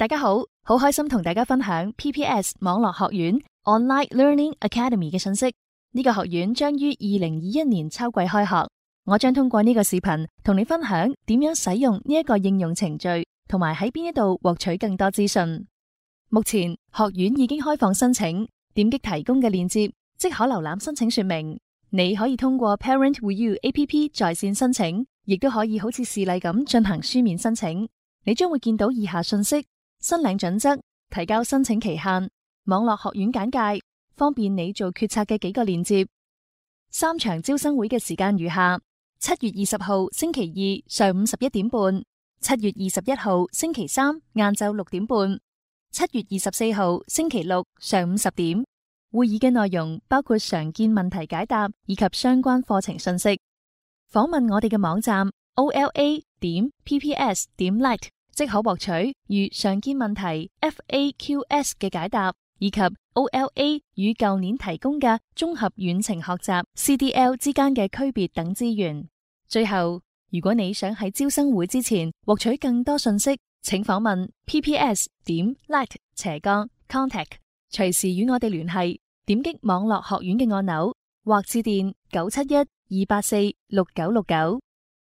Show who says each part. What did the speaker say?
Speaker 1: 大家好，好開心同大家分享 PPS 網絡學院 Online Learning Academy 嘅信息。呢個學院將於2021年秋季開學。我將通過呢個視頻同你分享點樣使用呢一個應用程序，同埋喺邊一度獲取更多資訊。目前學院已經開放申請，點擊提供嘅鏈接即可瀏覽申請說明。你可以通過 Parent With You APP 在線申請，亦都可以好似示例咁進行書面申請。你將會見到以下信息：申領準則、提交申請期限、網絡學院簡介，方便你做決策嘅幾個鏈接。3場招生會嘅時間如下：7月20號星期二上午11點半，7月21號星期三晏晝6點半，7月24號星期六上午10點。會議嘅內容包括常見問題解答以及相關課程信息。訪問我哋嘅網站 ola.pps.net， 即可獲取如常見問題 FAQs 嘅解答，以及 OLA 與舊年提供嘅綜合遠程學習 CDL 之間嘅區別等資源。最後，如果你想喺招生會之前獲取更多信息，請訪問 pps.net/contact， 隨時與我哋聯繫。點擊網絡學院嘅按鈕，或致電971-284-6969。